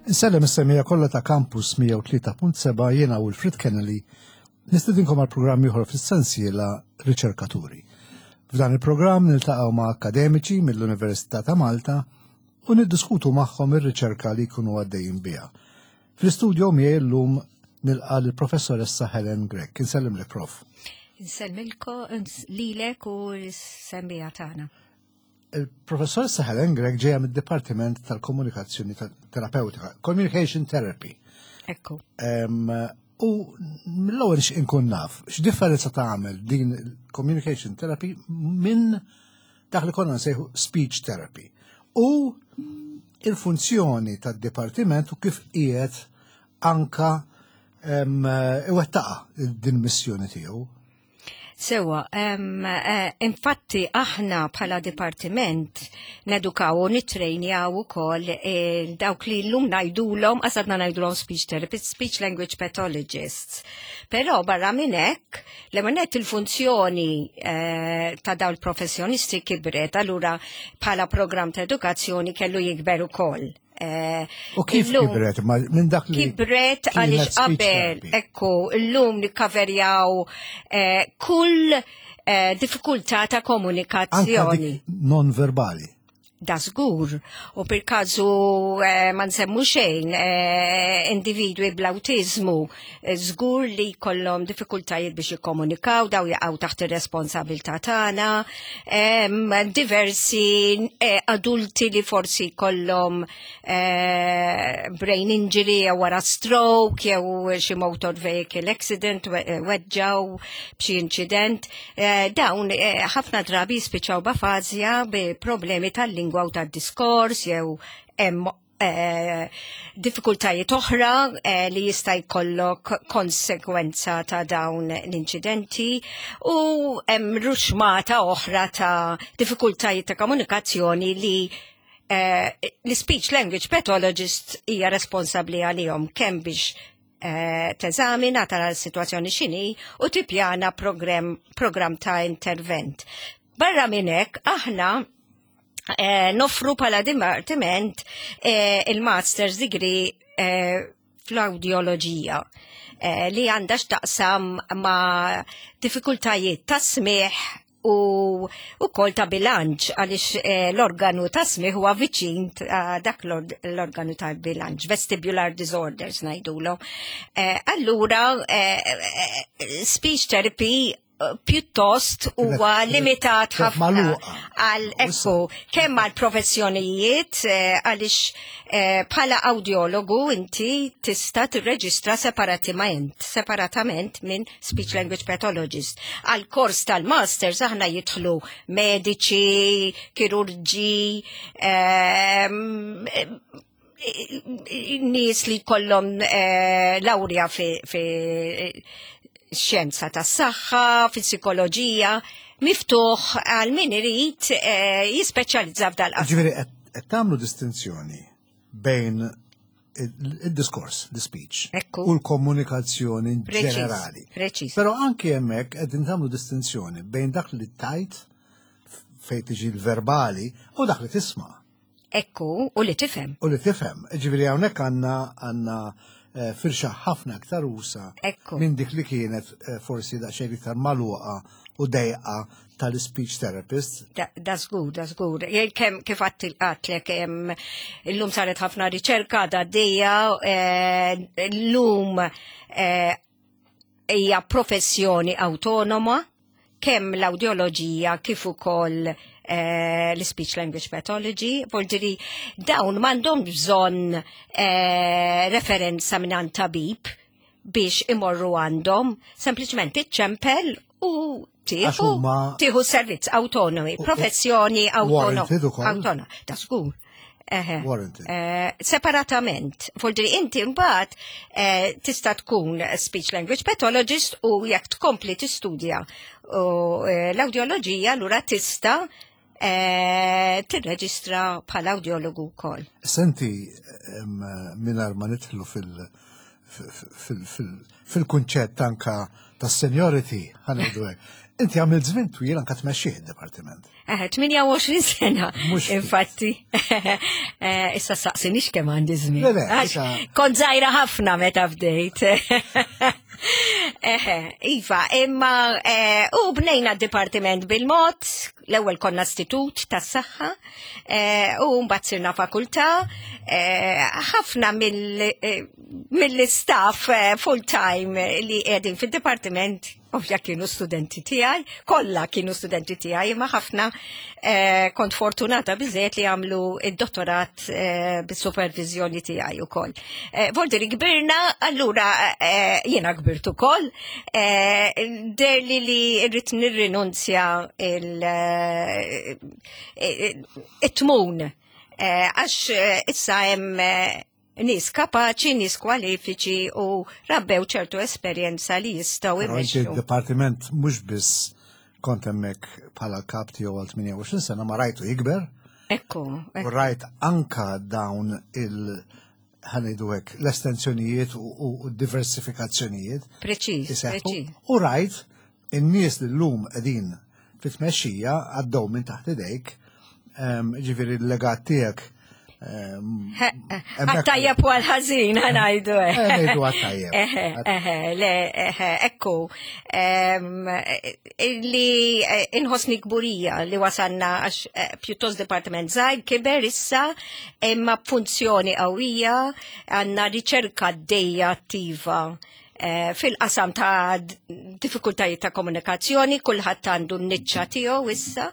Insellem is-semija kollha ta' Campus 103.7 jiena Wilfred Kennedy nistedinkom għal programm ieħor fis-sensiela Riċerkaturi. F'dan il-programm niltaqgħu ma' akademiċi mill-Università ta' Malta u niddiskutu magħhom ir-riċerka li jkunu għaddejjin biha. Fl-istudio miegħi llum nilqa' lill-Professoressa Helen Grech. Insellimlek, Prof. Insellmilko lilek u l-semmija tagħna. Il-professoressa Helen Grech ġejja mid-Dipartiment tal-Komunikazzjoni Terapeutika, Communication Therapy. Ekku. U mill-ewwel inkun naf, x'differenza tagħmel din communication therapy minn dak li konna nsejħu speech therapy. U il-funzjoni tad-dipartiment u kif qiegħed anka iwettaqa din missjoni tiegħu. Sewa, eh, infatti aħna bħala dipartiment nedukaw u nitrejnjaw ukoll eh, dawk li llum ngħidulhom, qasadna ngħidulhom speech therapists, speech language pathologists. Però barra minn hekk, l il-funzjoni eh, ta' dawn il-professjonisti kibret, allura bħala programm ta' edukazzjoni kellu jikber ukoll. Eh, U kif kibret? Minn dak li. Kibret għaliex qabel, ekku, illum nikkaverjaw eh, kull eh, diffikultà ta' komunikazzjoni. Non verbali. Da żgur. U per każu eh, ma nsemmu xejn eh, individwi bl-awtiżmu żgur li jkollhom diffikultajiet biex jikkomunikaw, daw jaqgħu taħt ir-responsabilità tagħna, diversi eh, adulti li forsi jkollhom eh, brain injury jew wara stroke jew xi motor vehicle accident eh, weġġaw b'xi incident, dawn ħafna drabi jispiċċaw b'afazja bi problemi tal-lingwa u tad-diskors jew hemm eh, diffikultajiet oħra eh, li jista' jkollok konsekwenza ta' dawn l-inċidenti u hemm ruxmata oħra ta' diffikultajiet ta' komunikazzjoni li eh, l-speech language pathologist hija responsabbli għalihom kemm biex eh, teżamina tara l-sitwazzjoni x'inhi u tippjana program, program ta' intervent. Barra minn hekk aħna eh, noffru pala dipartiment eh, il-master's degree eh, fl-audioloġija eh, li għandha x'taqsam ma' diffikultajiet ta' smigħ u ukoll ta' bilanċ għaliex eh, l-organu ta' smigħ huwa viċin ta' dak l-organu ta' bilanċ, vestibular disorders ngħidulu. Eh, allura, eh, eh, speech therapy pjuttost huwa limitat ħafna għal ekku kemm għal professjonijiet eh, għaliex eh, bħala audiologu inti tista' tirreġistra separatament separatament minn speech language pathologist. Għal kors tal-masters aħna jidħlu mediċi, kirurġi, ehm, nies li kollhom eh, lawrja fi, fi xjenza tas-saħħa, fi psikoloġija, miftuħ għal min irid eh, jispeċjalizza f'dal qasam. Ġifieri qed tagħmlu distinzjoni bejn il-diskors, the speech, u l-komunikazzjoni ġenerali. Preċis. Però anki hemmhekk qegħdin tagħmlu distinzjoni bejn dak li tajt fejn tiġi l-verbali u dak li tisma'. Ekku, u li tifhem. U li tifhem. Ġifieri hawnhekk għandna għandna eh, firxa ħafna aktar usa minn dik li kienet eh, forsi daqsxejn iktar magħluqa u dejqa tal-speech therapist. Da żgur, da żgur. Kemm kif għattlek illum saret ħafna riċerka da dejja eh, illum hija professjoni autonoma kemm l-audioloġija kif ukoll eh, l-speech language pathology, vuol dawn m'għandhom bżonn eh, referenza minn tabib biex imorru għandhom, sempliċement iċċempel u tieħu tieħu servizz autonomi, professjoni autonoma. Ta' żgur. Eh, separatament. Vuol inti mbagħad eh, tista' tkun speech language pathologist u jekk tkompli tistudja u eh, l-audioloġija allura tista' tirreġistra bħala audiologu wkoll. Senti mingħajr ma nidħlu fil- fil-kunċett anka tas seniority ħanejdu hekk. Inti għamilt żmien twil anka tmexxih id-dipartiment. 28 sena. Infatti, eh, issa saqsinix kemm għandi żmien. Kont żgħira ħafna meta bdejt. Iva, imma eh, u bnejna d-dipartiment bil-mod, l-ewwel konna istitut tas-saħħa, eh, u mbagħad sirna fakultà, ħafna mill-istaff full-time li qegħdin fid-dipartiment Ovvja kienu studenti tiegħi, kollha kienu studenti tiegħi, imma ħafna eh, kont fortunata biżejjed li għamlu id-dottorat eh, bis-supervizjoni tiegħi ukoll. Eh, Voldiri kbirna, allura eh, jiena kbirt ukoll, eh, derli li rrid nirrinunzja eh, it-tmun għax issa hemm nies kapaċi, nies kwalifiċi u rabbew ċertu esperjenza li jistgħu imexxu. Il-dipartiment mhux biss kont hemmhekk bħala kap tiegħu għal 28 sena ma rajtu jikber. Ekku. U rajt anka dawn il- ħanidu hekk l-estensjonijiet u diversifikazzjonijiet. Preċiż, preċiż. U rajt In-nies li llum qegħdin fit-tmexxija għaddew minn taħt idejk, ġifieri l-legat tiegħek Għattajjeb u għal-ħazin, għanajdu. Eh, ngħidu għattajjeb. Eħe, le, eħe, ekku. Li eh, inħosni kburija li wasanna għax eh, pjuttost departiment zaħir kiber issa imma b'funzjoni qawwija għandna riċerka dejja attiva Eh, fil-qasam ta' diffikultajiet ta' komunikazzjoni, kulħadd għandu n-niċċa tiegħu issa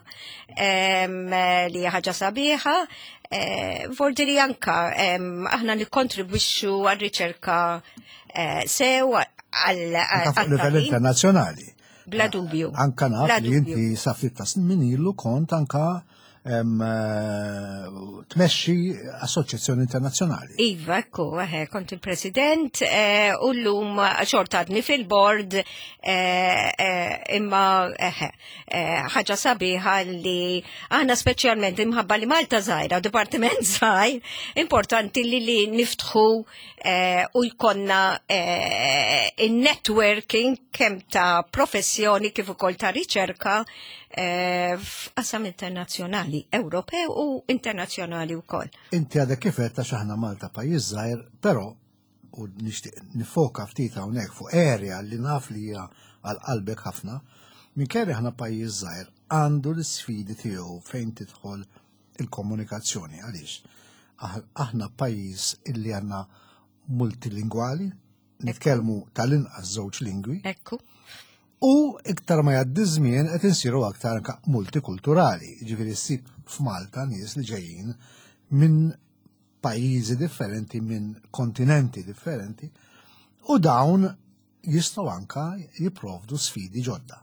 li hija ħaġa sabiħa. Eh, Vordi li anka aħna nikkontribwixxu għar-riċerka eh, sew għal livell internazzjonali. Bla dubju. Anka naf li inti sa ftit ta' snin ilu kont anka Eh, tmexxi assoċjazzjoni internazzjonali. Iva, ekku, eħe, kont il-president eh, u llum xorta għadni fil-board eh, imma eħe, ħaġa sabiħa li aħna speċjalment imħabba li Malta żgħira, dipartiment żgħir, importanti li li niftħu u jkollna il-networking kemm ta' professjoni kif ukoll ta' riċerka Eh, f'qasam internazzjonali, Ewropew u internazzjonali wkoll. Inti għadek kif qed għax aħna Malta pajjiż żgħir, però u nixtieq nifoka ftit hawnhekk fuq area li naf li hija għal qalbek ħafna, minkejja aħna pajjiż żgħir għandu l-isfidi tiegħu fejn tidħol il-komunikazzjoni għaliex aħna pajjiż illi għandna multilingwali, nitkellmu tal-inqas żewġ lingwi. Ekku. U iktar ma jgħaddi żmien qed insiru aktar anka multikulturali, ġifieri ssib f'Malta nies li ġejjin minn pajjiżi differenti, minn kontinenti differenti, u dawn jistgħu anka jipprovdu sfidi ġodda.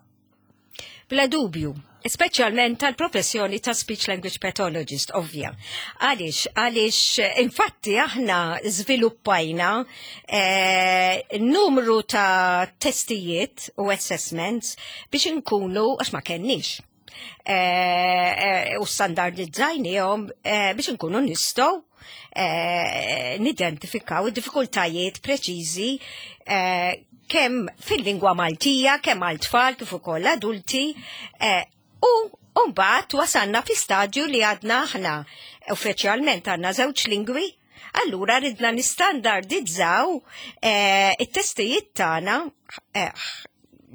Bla dubju, speċjalment tal-professjoni ta' speech language pathologist, ovvja. Għaliex, għaliex infatti aħna żviluppajna eh, numru ta' testijiet u assessments biex inkunu, għax ma kenniex, eh, eh, u standardizzajnihom eh, biex inkunu nistgħu eh, nidentifikaw id-diffikultajiet preċiżi eh, kemm fil-lingwa Maltija, kemm għal tfal kif ukoll adulti, eh, u mbagħad wasalna fi stadju li għadna aħna uffiċjalment għandna żewġ lingwi, allura ridna nistandardizzaw eh, it-testijiet tagħna eh,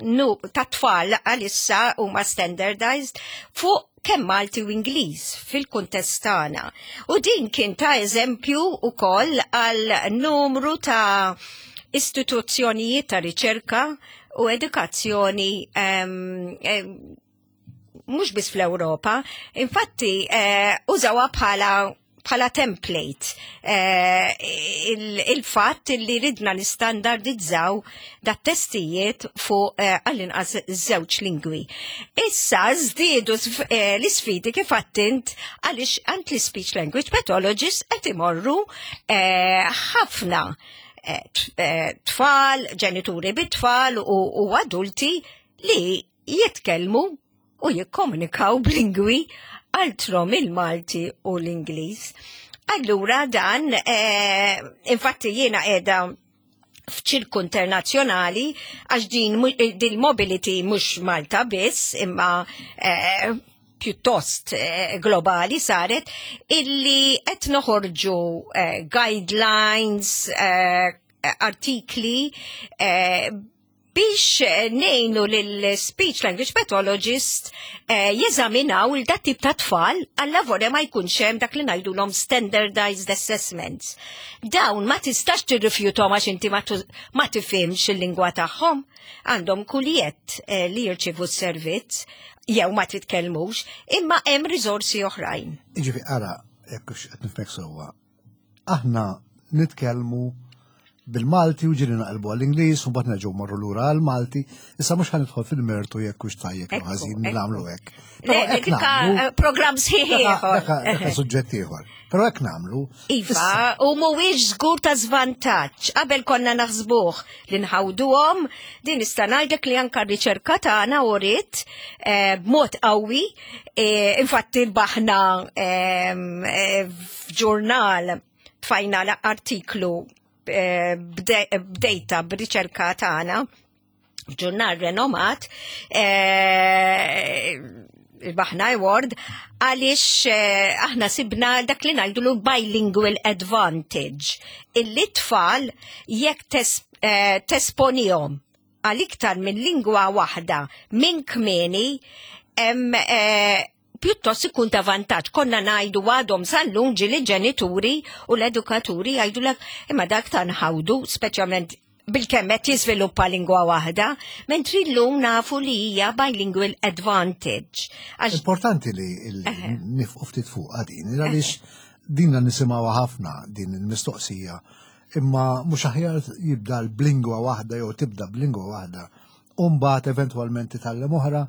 nu ta' tfal għalissa huma standardized fuq kemm Malti u Ingliż fil-kuntest tagħna. U din kien ta' eżempju ukoll għal numru ta' istituzzjonijiet ta' riċerka u edukazzjoni mhux biss fl-Ewropa, infatti eh, użawha bħala bħala template eh, il-fatt il li ridna nistandardizzaw da testijiet fuq eh, għall-inqas żewġ lingwi. Issa żdiedu eh, l-isfidi kif għattint għaliex għand l-speech language pathologists qed imorru ħafna tfal, ġenituri bit-tfal u adulti li jitkellmu u jikkomunikaw b'lingwi altro mill-Malti u l-Ingliż. Allura dan, eh, infatti jiena qiegħda F'ċirku internazzjonali għax din din mobility mhux Malta biss imma eh, pjuttost eh, globali saret illi qed noħorġu eh, guidelines, artikli biex eh, nejnu lil-speech language pathologist eh, jeżaminaw il dat tip ta' tfal għalla vorja ma jkunx hemm dak li ngħidulhom standardized assessments. Dawn ma tistax tirrifjutom għax inti ma tifhimx il-lingwa tagħhom. Għandhom kuljett eh, li jirċivu s-servizz jew ma titkellmux, imma hemm riżorsi oħrajn. Jiġifieri ara, jekk qed nifhmek sewwa, aħna nitkellmu bil-Malti u ġiri naqilbu għall-Ingliż u mbagħad nerġgħu marru lura għall-Malti. Issa mhux ħanidħol fil-mertu jekk hux tajjeb jew ħażin nagħmlu hekk. Eh, program sħiħ ieħor. Dak suġġett ieħor. Però hekk nagħmlu. Iva, u mhuwiex żgur ta' żvantaġġ. Qabel konna naħsbuh li nħawduhom, din nista' ngħidlek li anke r-riċerka tagħna uriet eh, b'mod qawwi, eh, infatti rbaħna f'ġurnal tfajna artiklu eh, b'dejta b'riċerka tagħna f'ġurnal renomat eh, baħna award għaliex eh, aħna sibna dak li ngħidulu bilingual advantage illi tfal jekk tesponihom għal iktar minn lingwa waħda minn kmieni pjuttost ikun ta' vantaġġ. Konna ngħidu għadhom sal-lum ġieli ġenituri u l-edukaturi jgħidulek imma dak ta' nħawdu, speċjalment bil-kemm qed jiżviluppa lingwa waħda, mentri llum nafu li hija bilingual advantage. Importanti li nifqu ftit fuq din, għaliex dinna nisimgħuha ħafna din il-mistoqsija, imma mhux aħjar jibda b'lingwa waħda jew tibda b'lingwa waħda u mbagħad eventwalment titgħallem oħra.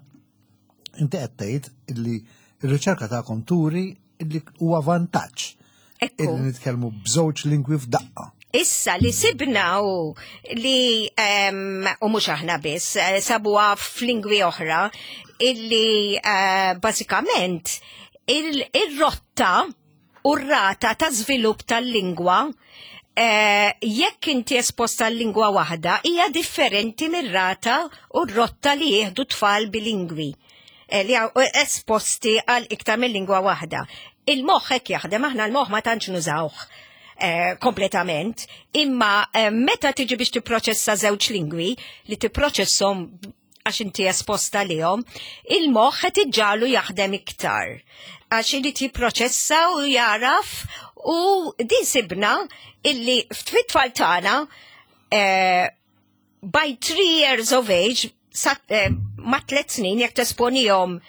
Inti qed tgħid illi r-riċerka tagħkom turi illi huwa vantaġġ illi nitkellmu b'żewġ lingwi f'daqqa. Issa li sibna u li u mhux aħna biss eh, sabuha f'lingwi oħra illi eh, bażikament il-rotta u r-rata ta' żvilupp tal-lingwa eh, jekk inti esposta l-lingwa waħda hija differenti mir-rata u r-rotta li jieħdu tfal bilingwi eh, li esposti għal iktar minn lingwa waħda. Il-moħħ hekk jaħdem, aħna l-moħħ ma tantx nużawh eh, kompletament, imma meta tiġi biex tipproċessa żewġ lingwi li tipproċesshom għax inti esposta lihom, il-moħħ qed iġġagħlu jaħdem iktar. Għax irid jipproċessa u jaraf u din sibna illi fit-tfal tagħna eh, by three years of age, eh, ma tliet snin jekk tesponihom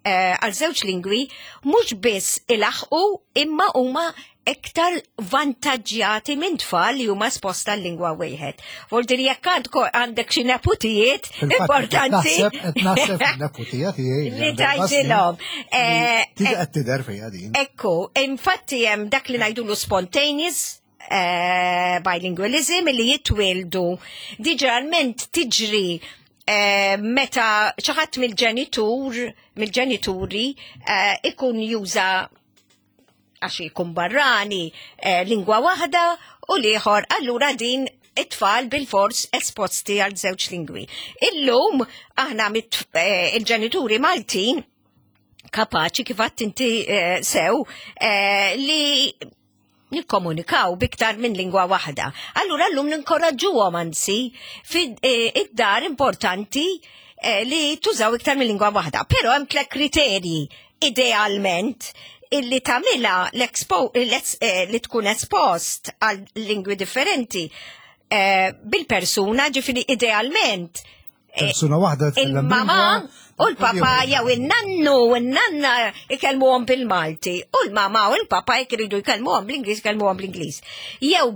Eh, għal żewġ lingwi mhux biss ilaħqu imma huma iktar vantaġġjati minn tfal li huma esposta l-lingwa wieħed. Voldir jekk għandek xi neputijiet importanti. Naħseb neputija tiegħi. Li tgħidilhom. Eh, Tiġi qed tidher fija din. Ekku, infatti hemm dak li ngħidulu spontaneous eh, bilingualism li jitwildu. Diġalment tiġri eh, meta xi ħadd mill-ġenitur, mill-ġenituri eh, ikun juża għax ikun barrani lingwa waħda u liħor allura din it-tfal bil-fors esposti għal żewġ lingwi. Illum aħna il-ġenituri Maltin kapaċi kif għadt inti sew li nikkomunikaw biktar minn lingwa waħda. Allura llum ninkoraġġuhom anzi eh, id-dar importanti eh, li tużaw iktar minn lingwa waħda. Però hemm tliet kriterji idealment illi tagħmilha eh, li tkun espost għal lingwi differenti bil-persuna, ġifieri idealment Persuna waħda Il-mama u l-papa jew il-nannu u n-nanna ikellmuhom bil-Malti u l-mama u l-papa jekk iridu jkellmuhom bl-Ingliż jkellmuhom bl-Ingliż. Jew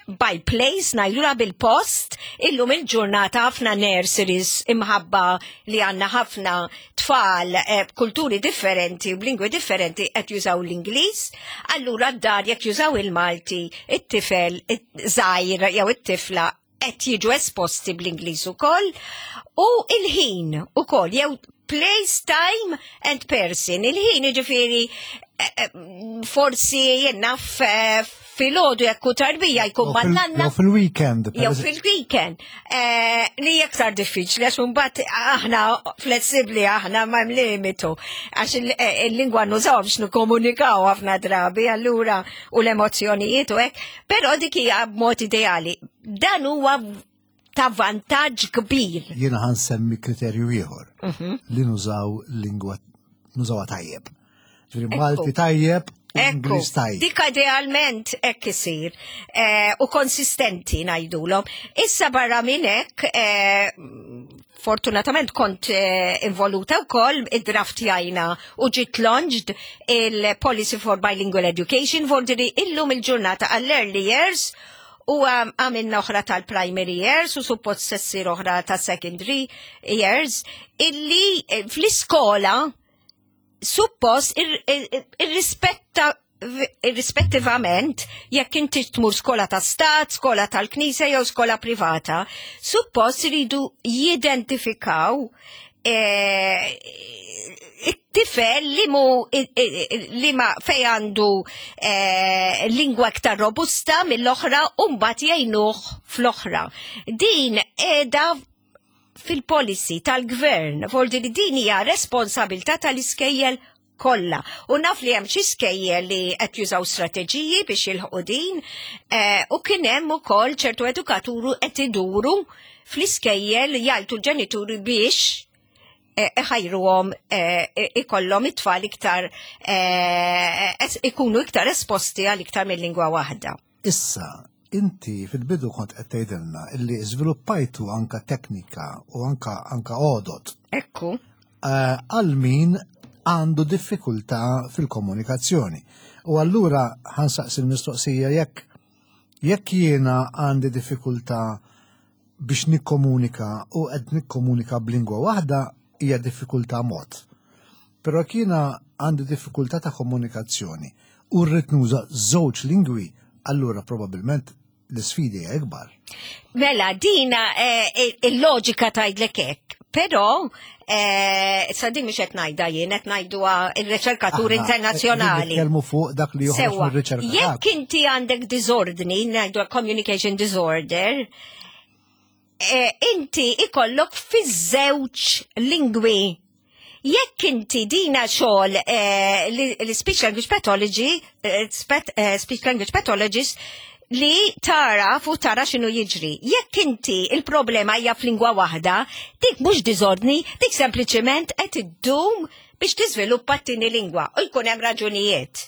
by place ngħidulha bil-post illum il-ġurnata ħafna nurseries imħabba li għandna ħafna tfal eh, b'kulturi differenti u b'lingwi differenti qed jużaw l-Ingliż, allura d-dar jekk jużaw il-Malti, it-tifel żgħir jew it-tifla qed jiġu esposti bl-Ingliż ukoll u il-ħin ukoll jew place, time and person. Il-ħin jiġifieri eh, eh, forsi jien naf eh, Filgħodu jekk hu tarbija jkun man-nanna. Jew fil-weekend. Jew fil-weekend. Eh, li iktar diffiċli għax imbagħad aħna flessibbli aħna ma hemm limitu. Għax eh, il-lingwa nużaw biex nikkomunikaw ħafna drabi allura u l-emozzjonijiet u hekk, però dik hija b'mod ideali. Dan huwa ta' vantaġġ kbir. Jiena ħan semmi kriterju ieħor mhm. li nużaw lingwa nużawha tajjeb. Ġifieri Malti tajjeb Ekku, dik idealment hekk isir eh, u konsistenti ngħidulhom. Issa barra minn hekk eh, fortunatament kont eh, involuta wkoll id-draft jajna u ġiet launched il-Policy for Bilingual Education vordiri illum il-ġurnata għall-early years u għamilna oħra tal-primary years u suppost sessir oħra ta' secondary years illi eh, fl-iskola suppost irrispetta irrispettivament jekk inti tmur skola ta' stat, skola tal-knisja jew skola privata, suppost iridu jidentifikaw eh, it-tifel li mu li ma fej għandu eh, lingwa iktar robusta mill-oħra u mbagħad jgħinuh fl-oħra. Din qiegħda fil-policy tal-gvern, voldi li din hija responsabilità tal-iskejjel kollha. U naf li hemm xi skejjel li qed jużaw strateġiji biex jilħqu din, eh, u kien hemm ukoll ċertu edukaturu qed iduru fl-iskejjel jgħajtu l-ġenituri biex eh, iħajruhom eh, ikollhom it-tfal iktar ikunu iktar esposti għal iktar mill-lingwa waħda. Issa, inti fil-bidu kont qed tgħidilna illi żviluppajtu anka teknika u anka anka għodot. Ekku. Eh, għal min għandu diffikultà fil-komunikazzjoni. U allura ħansaqsi l-mistoqsija jekk jekk jiena għandi diffikultà biex nikkomunika u qed nikkomunika b'lingwa waħda hija diffikultà mod. Però jekk jiena għandi diffikultà ta' komunikazzjoni u rrid nuża żewġ lingwi, allura probabbilment l-isfidi hija ikbar. Mela, dina eh, il-loġika tgħidlek hekk, però eh, sa din mhux qed ngħidha jien qed ngħiduha il-riċerkatur internazzjonali. Nitkellmu fuq dak li joħroġ mir-riċerka. Jekk inti għandek diżordni, ngħidu communication disorder, eh, inti ikollok fiż-żewġ lingwi. Jekk inti dina xogħol eh, li speech language pathology, eh, speech language pathologist, li tara fu tara x'inhu jiġri. Jekk inti il-problema hija f'lingwa waħda, dik mhux diżordni, dik sempliċement qed iddum biex tiżviluppa t-tieni lingwa u jkun hemm raġunijiet.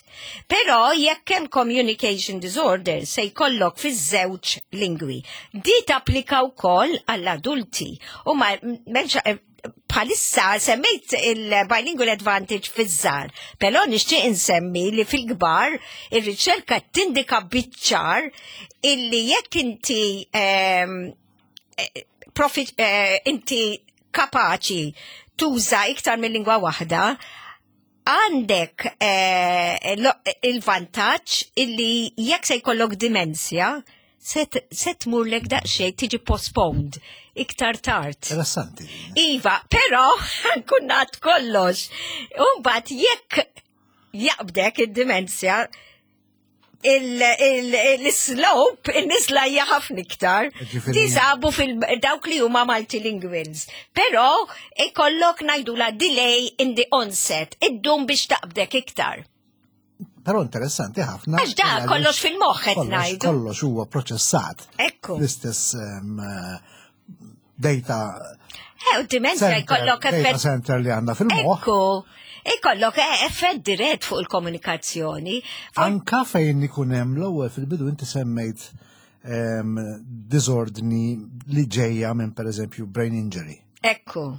Però jekk hemm communication disorder se jkollok fiż-żewġ lingwi. Di tapplika wkoll għall-adulti u ma m'hemmx eh, bħalissa semmejt il-bilingual advantage fiż-żgħar, però nixtieq insemmi li fil-kbar ir-riċerka tindika biċ-ċar illi jekk inti ehm, eh, profit, eh, inti kapaċi tuża iktar minn lingwa waħda, għandek eh, il-vantaġġ illi jekk se jkollok dimensja, se tmurlek daqsxejn tiġi postponed iktar tard. Interessanti. Iva, però kunnat kollox. Umbagħad jekk jaqbdek id-dimensja, il-slope, il-nisla hija ħafna iktar. Tisabu fil-dawk li huma multilinguals. Però ikollok ngħidula delay in the onset, iddum biex taqbdek iktar. Però interessanti ħafna. Għax da kollox fil-moħħ qed ngħidu. Kollox huwa proċessat. Ekku. L-istess data. Eh, u dimensja jkollok effett. Data center li għandna fil-moħħ. Ekku. Ikollok eh, effett dirett fuq il-komunikazzjoni. Anka fejn ikun hemm l-ewwel fil-bidu inti semmejt ehm, disordni li ġejja minn pereżempju brain injury. Ekku.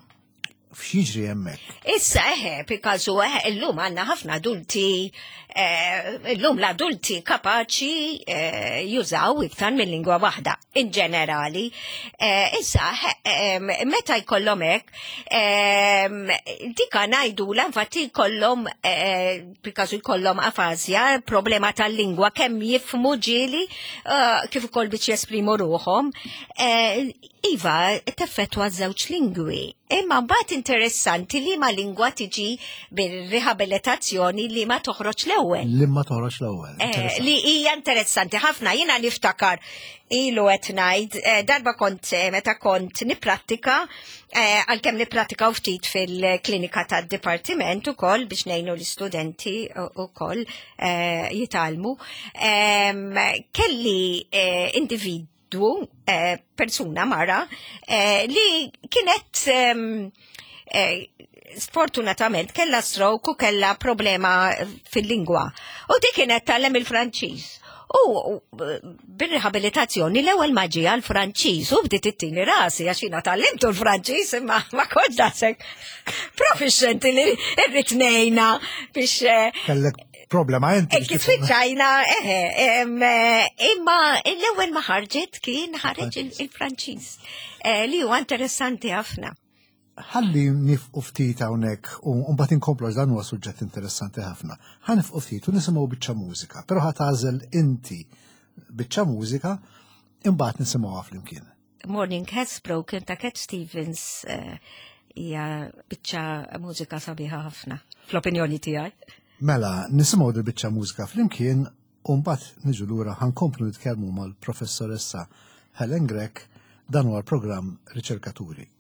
F'xiġri hemmhekk? Issa eħe, pikazu eħe, illum għandna ħafna adulti, eh, illum l-adulti kapaċi eh, jużaw iktar minn lingwa waħda, in ġenerali. Eh, issa, meta jkollhom hekk, dika ngħidu l infatti jkollhom pikazu jkollhom afazja, problema tal-lingwa kemm jifmu ġieli kif ukoll biex jesprimu ruħhom. Iva, teffettwa żewġ lingwi. Imma mbagħad interessanti li ma lingwa tiġi bir-rehabilitazzjoni li ma toħroġ l-ewwel. Li ma toħroġ l-ewwel. Eh, li hija interessanti ħafna jiena niftakar ilu qed ngħid eh, darba kont eh, meta kont nipprattika għalkemm nipprattikaw ftit fil-klinika tad-dipartiment ukoll biex ngħinu l-istudenti ukoll jitgħallmu. Kelli individwu, persuna mara, li kienet sfortunatament kella stroke u kella problema fil-lingwa. U di kienet tallem il-Franċiż. U bir-rehabilitazzjoni l-ewwel ma ġie għall-Franċiż u bdiet ittini rasi għax jiena tgħallimtu l-Franċiż imma ma kontx daqshekk proficienti li rrid ngħinha biex eh, Kellek problema inti. Kif spiċċajna, eħe, eh, imma l-ewwel ma ħarġet kien ħareġ il-Franċiż eh, li huwa interessanti ħafna. Ħalli nifqu ftit hawnhekk u mbagħad inkomplu għax dan huwa suġġett interessanti ħafna. Ħa nifqu ftit u nisimgħu biċċa mużika, però ħa tagħżel inti biċċa mużika imbagħad nisimgħuha flimkien. Morning Has Broken ta' Cat Stevens eh, hija biċċa mużika sabiħa ħafna fl-opinjoni tiegħi. Mela, nisimgħu dil biċċa mużika flimkien u mbagħad niġu lura ħankomplu nitkellmu mal-professoressa Helen Grech dan huwa l-programm Riċerkaturi.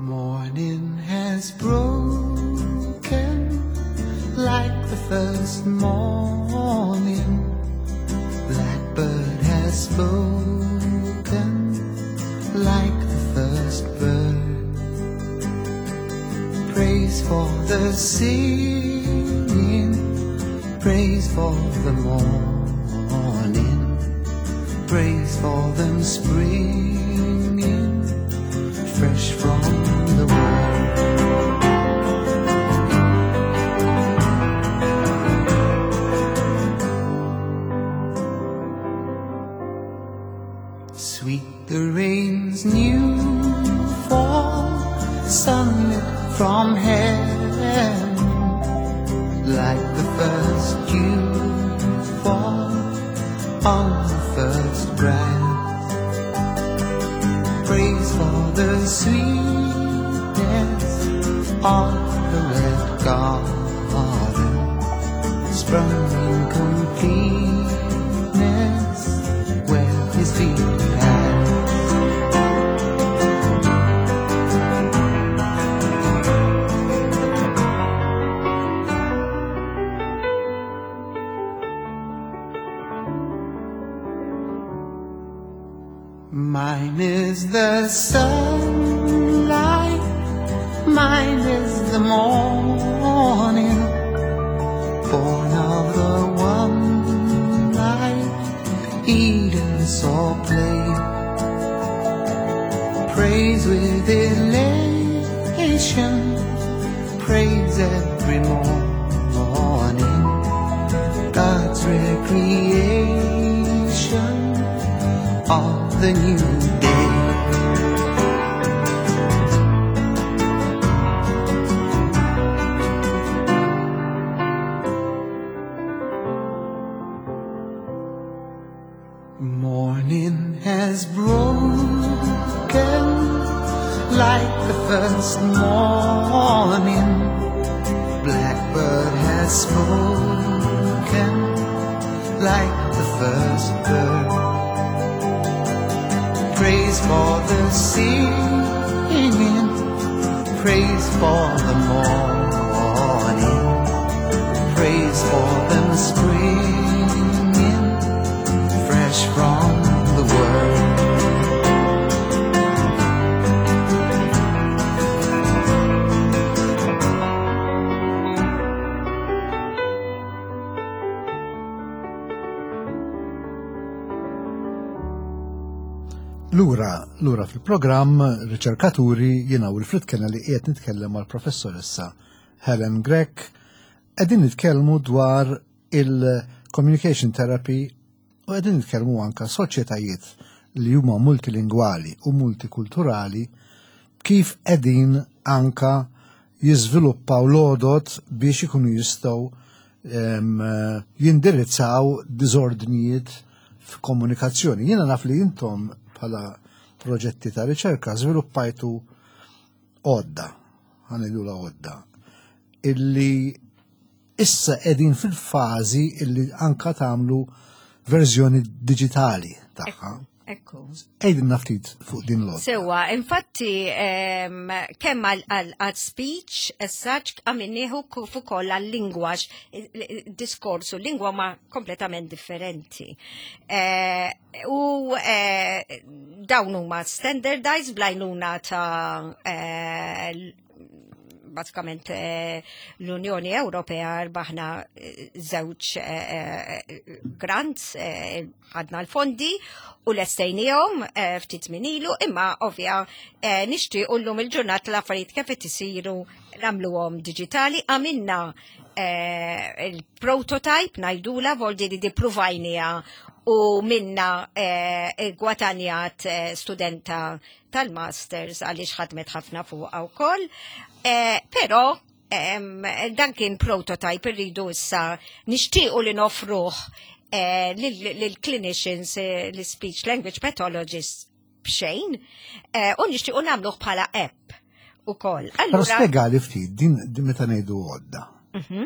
Morning has broken like the first morning. Blackbird has spoken like the first bird. Praise for the singing, praise for the morning, praise for them springing fresh from the world. Sweet the rain's new fall, sunlit from heaven, like the first dew fall on the first grass. Praise for the sweetness of the red garden, sprung in completeness where his feet pass. Mine is the sunlight, mine is the morning, born of the one light, Eden saw play. Praise with elation, praise every morning, God's recreation of the new day. Morning has broken like the first morning. Blackbird has spoken like the first bird. Praise for the singing, praise for the morning, praise for them springing fresh from the world. Lura, lura fil-programm Riċerkaturi jiena Wilfred Kennelly qiegħed nitkellem mal-professoressa Helen Grech qegħdin nitkellmu dwar il-communication therapy u qegħdin nitkellmu anka soċjetajiet li huma multilingwali u multikulturali kif qegħdin anka jiżviluppaw l-għodod biex ikunu jistgħu jindirizzaw diżordnijiet f'komunikazzjoni. Jiena naf li intom bħala proġetti ta' riċerka żviluppajtu għodda, ħanidula għodda, illi issa qegħdin fil-fażi illi anka tagħmlu verżjoni diġitali tagħha. Ekku. Għidilna ftit fuq din l Sewa, infatti, kemm għal speech, as such, għamilniehu kif ukoll għal lingwaġ, diskorsu, lingwa ma kompletament differenti. Eh, u eh, dawn huma standardized bl-għajnuna ta' eh, basikament eh, l-Unjoni Ewropea rbaħna eh, żewġ eh, grants, ħadna l-fondi u lestejnihom ftit żmien ilu, imma ovvja nixtiequ llum il-ġurnata l-affarijiet kif qed isiru nagħmluhom diġitali, għamilna il-prototype ngħidula voldi li dipruvajnija u minna gwatanjat studenta tal-masters għaliex ħadmet ħafna fuqha wkoll. Eh, però dan kien prototype irridu issa nixtiequ li nofruh eh, lill-clinicians, eh, l-speech language pathologists b'xejn, u nixtiequ nagħmluh bħala app ukoll. Però spjegali ftit din meta ngħidu għodda. Mhm.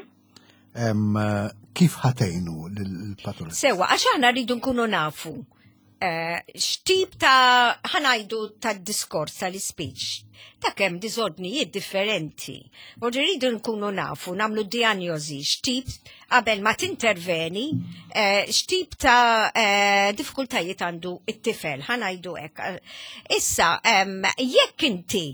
Kif ħatejnu l-patoloġi? Sewa, għax aħna rridu nkunu nafu eh, x'tip ta' ħanajdu ta' diskors tal-speech ta' kemm diżordnijiet differenti. Vordi rridu nkunu nafu, namlu diagnosi, x'tip qabel ma tinterveni, eh, x'tip ta' eh, diffikultajiet għandu it-tifel, ħanajdu hekk. Issa, jekk inti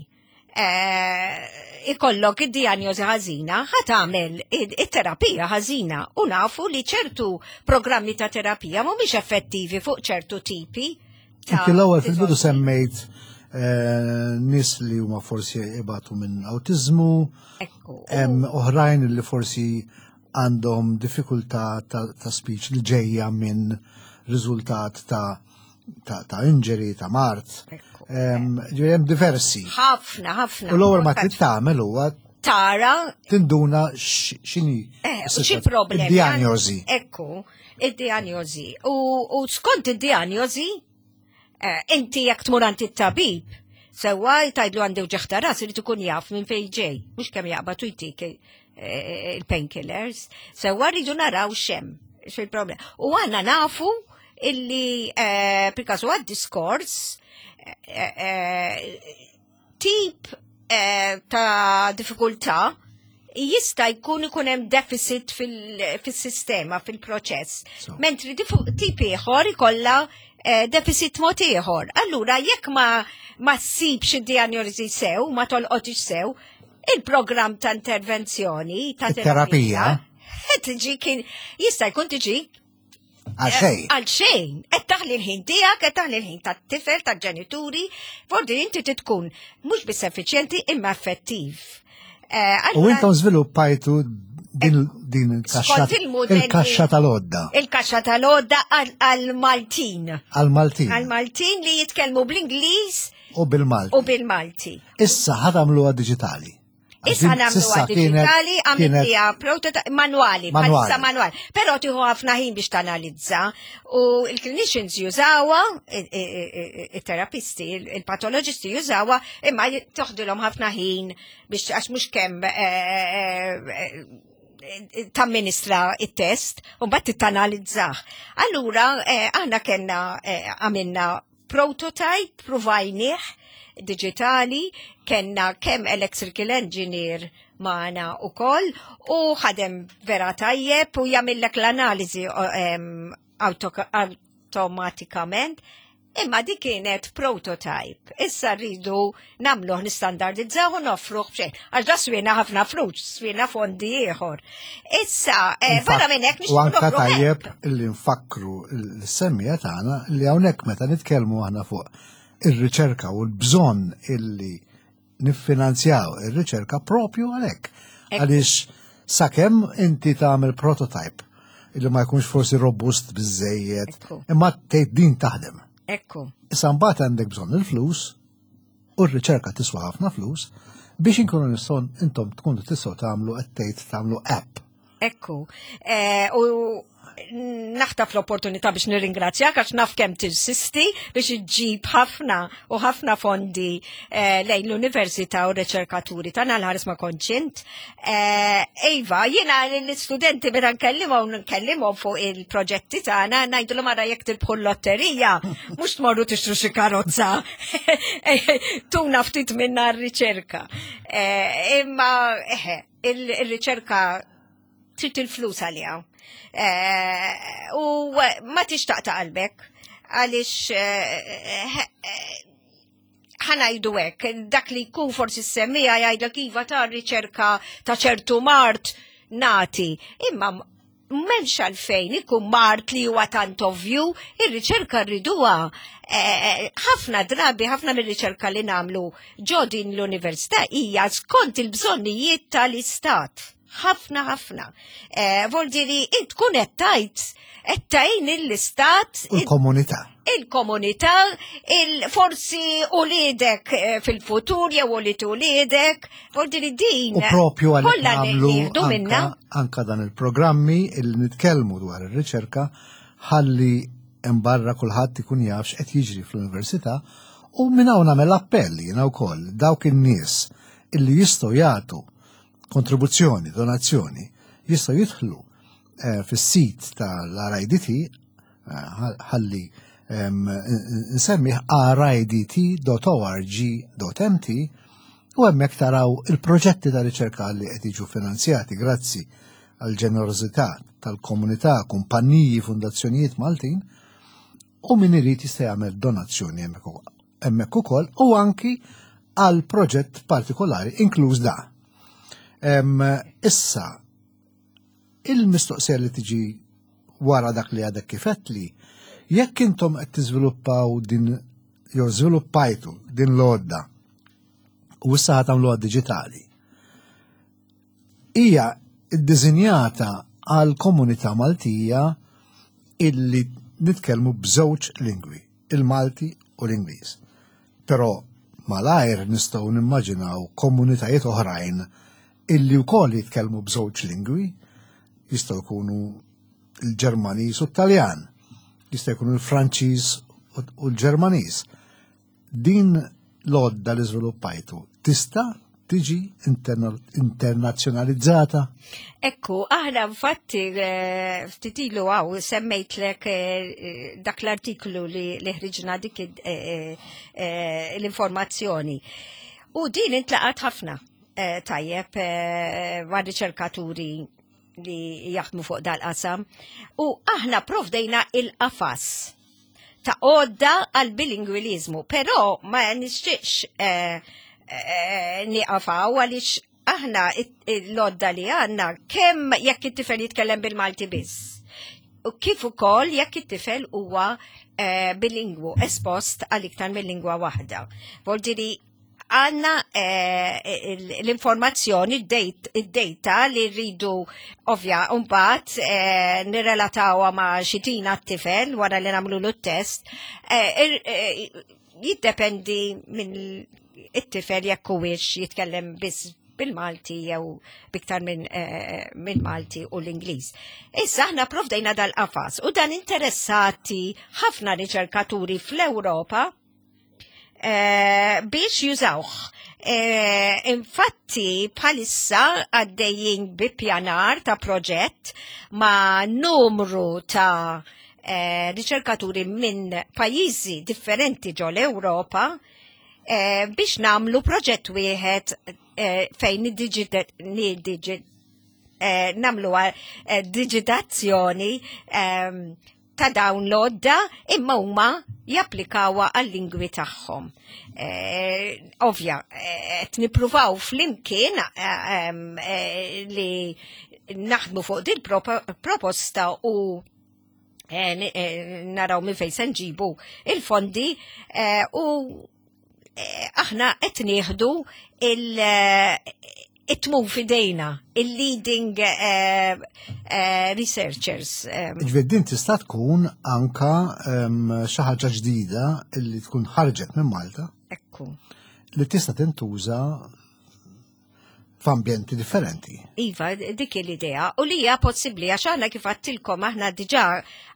Eh, ikollok id-dijanjosi ħażina, ħa tagħmel it-terapija ħażina u nafu li ċertu programmi ta' terapija mhumiex effettivi fuq ċertu tipi. Inti l-ewwel fil-bidu semmejt eh, nis li huma forsi ibatu minn autizmu, hemm oħrajn li forsi għandhom diffikultà ta', ta speech li ġejja minn riżultat ta' ta', ta injury, ta' mart. Ġifieri hemm diversi. Ħafna, ħafna. U l-ewwel ma trid tagħmel huwa tara tinduna x'inhi eh, xi problemi. Id-diagnosi. Ekku, id-diagnosi. U skont id-diagnosi, eh, inti jekk tmur għand it-tabib, sewwa tgħidlu għandi uġigħ ta' ras irid ikun jaf minn fejn ġej, mhux kemm jaqbad u jtik eh, il-painkillers. Sewwa rridu naraw x'hemm x'il-problema. U għandna nafu illi eh, per kasu għad diskors eh, eh, tip ta' diffikultà jista' jkun ikun hemm deficit fil-sistema, fil-proċess. Mentri tip ieħor ikollha deficit mod ieħor. Allura jekk ma ma ssibx id-dijanjosi sew, ma tolqotix sew, il-programm ta' intervenzjoni ta' terapija tiġi kien jista' jkun tiġi Għal xejn. Għal xejn. Qed taħli l-ħin tiegħek, qed taħli l-ħin tat-tifel, tal-ġenituri, fordi inti tkun mhux biss effiċjenti imma effettiv. Eh, U intom żviluppajtu din din il-kaxxa il-kaxxa tal-odda. Il-kaxxa tal-odda għal-Maltin. Għal-Maltin. Għal-Maltin li jitkellmu bl-Ingliż u bil-Malti. U bil-Malti. Issa ħadamluha diġitali. Issa nagħmluha diġitali, għamilniha prototype manwali, bħalissa manwali. Però tieħu ħafna ħin biex tanalizza u l-clinicians jużawha, it-terapisti, il-patoloġisti jużawha, imma toħdilhom ħafna ħin biex għax mhux kemm eh, eh, eh, tamministra it-test u mbagħad tittanalizzah. Allura aħna kellna għamilna prototype pruvajnieh digitali, kenna kemm electrical engineer maħna u koll u ħadem vera tajjeb u jagħmillek l-analiżi automatikament. Imma di kienet prototype. Issa rridu nagħmluh nistandardizzaw u noffruh b'xejn. Għax da swina ħafna flus, swina fondi ieħor. Issa, eh, barra minn hekk U anka tajjeb li nfakru l-semmija tagħna li hawnhekk meta nitkellmu aħna fuq ir-riċerka u l-bżonn illi niffinanzjaw ir-riċerka propju għalhekk. Għaliex sakemm inti tagħmel prototype illi ma jkunx forsi robust biżejjed, imma tgħid din taħdem. Ekku. Issa mbagħad għandek bżonn il-flus. U r-riċerka tiswa ħafna flus biex inkunu nistgħu intom tkunu tistgħu tagħmlu qed tgħid tagħmlu app. Ekku. Eh, u naħtaf l-opportunità biex nirringrazzjak għax naf kemm tinsisti biex iġġib ħafna u ħafna fondi eh, lejn l-università u r-riċerkaturi tagħna l-ħares ma konċint. Eh, iva, jiena l-istudenti meta nkellimhom nkellimhom fuq il-proġetti tagħna ngħidulhom ara jekk tirbħu l-lotterija, mhux tmorru tixtru xi karozza. Tuna ftit minna r-riċerka. Eh, imma eħe, il-riċerka trid il-flus għaliha. Eh, u ma tixtaq ta' qalbek għaliex eh, eh, ħanajdu hekk, dak li jkun forsi semmija jgħidlek iva ta' riċerka ta' ċertu mart nati, imma m'hemmx għalfejn ikun mart li huwa tant ovvju, ir-riċerka rriduha. Ħafna drabi, ħafna mir-riċerka li nagħmlu ġo din l-università hija skont il-bżonnijiet tal-istat. Ħafna ħafna. Eh, Voldiri, int tkun qed tgħid qed tgħin l-istat. Il-komunità. Il-komunità, il-forsi uliedek eh, fil-futur jew ulied uliedek, voldiri din. U propju għalhekk nagħmlu anka, anka dan il-programmi il nitkellmu dwar ir-riċerka ħalli imbarra kulħadd ikun jaf x'qed jiġri fl-università u minn hawn nagħmel appell jiena wkoll dawk in-nies illi jistgħu jagħtu kontribuzzjoni, donazzjoni, jistgħu jidħlu eh, fis-sit tal-RIDT eh, ħalli nsemmih ridt.org.mt u hemmhekk taraw il-proġetti ta' riċerka li qed jiġu finanzjati grazzi għal ġenerożità tal-komunità, kumpaniji, fundazzjonijiet Maltin u min irid jista' jagħmel donazzjoni hemmhekk ukoll u anki għal proġett partikolari inkluż da. Issa, il-mistoqsija li tiġi wara dak li għadek kifet li jekk intom qed tiżviluppaw din jew żviluppajtu din l-għodda u issa ħa tagħmluha diġitali. Hija ddisinjata għal komunità Maltija illi nitkellmu b'żewġ lingwi, il-Malti u l-Ingliż. Però malajr nistgħu nimmaġinaw komunitajiet oħrajn illi wkoll jitkellmu b'żewġ lingwi, jistgħu jkunu l-Ġermaniż u t-Taljan, jista' jkunu l-Franċiż u l-Ġermaniż. Din l-għodda li żviluppajtu tista' tiġi internazzjonalizzata? Ekku, aħna infatti eh, ftit ilu għaw semmejtlek eh, dak l-artiklu li ħriġna dik eh, l-informazzjoni. U din intlaqat ħafna tajjeb ma' riċerkaturi li jaħdmu fuq dal-qasam. U aħna provdejna il-qafas ta' għodda għal bilingwilizmu, però ma nixtieqx eh, eh, nieqafaw għaliex aħna l-għodda li għandna kemm jekk it-tifel jitkellem bil-Malti biss. U kif ukoll jekk it-tifel huwa eh, bilingwu espost għal iktar mill-lingwa waħda. Voldiri għanna eh, l-informazzjoni, id-data li rridu ovvja mbagħad eh, nirrelatawha ma' xi tina t-tifel wara li nagħmlu l test eh, jiddependi minn it-tifel jekk huwiex jitkellem biss bil-Malti jew biktar minn min Malti u l-Ingliż. Issa aħna provdejna dal-qafas u dan interessati ħafna riċerkaturi fl-Ewropa Eh, biex jużawh. Eh, infatti bħalissa għaddejjin bi pjanar ta' proġett ma' numru ta' eh, riċerkaturi minn pajjiżi differenti ġo l-Ewropa biex namlu proġett wieħed fejn namlu digitazzjoni ehm, ta' dawn l-odda imma huma japplikawha għal-lingwi tagħhom. Eh, ovvja, eh, qed nippruvaw flimkien eh, eh, li naħdmu fuq din proposta u eh, eh, naraw minn fejn se nġibu il-fondi u aħna qed nieħdu il- it-tmum fidejna, il-leading eh, eh, researchers. Eh. Ġifieri din tista' tkun anka ehm, xi ħaġa ġdida li tkun ħarġet minn Malta. Ekku. li tista' tintuża f'ambjenti differenti. Iva, dik l-idea. U li hija possibbli għax aħna kif għattilkom aħna diġà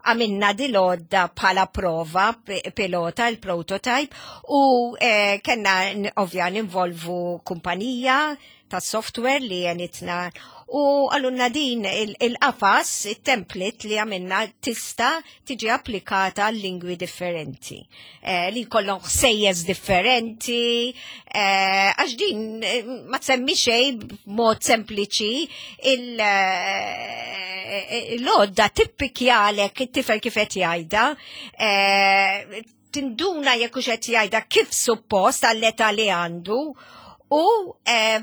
għamilna dil-għodda bħala prova pilota, il-prototype, u eh, kellna ovvja ninvolvu kumpanija ta' software li jenitna u għalunna din il-qafas, il-template li għamilna tista tiġi applikata għal lingwi differenti. Eh, li kollhom ħsejjes differenti, eh, għax din eh, ma tsemmi xejn b'mod sempliċi il-lodda tippikjalek it-tifel kif qed jgħidha, tinduna jekk hux qed jgħidha kif suppost għall-età li għandu u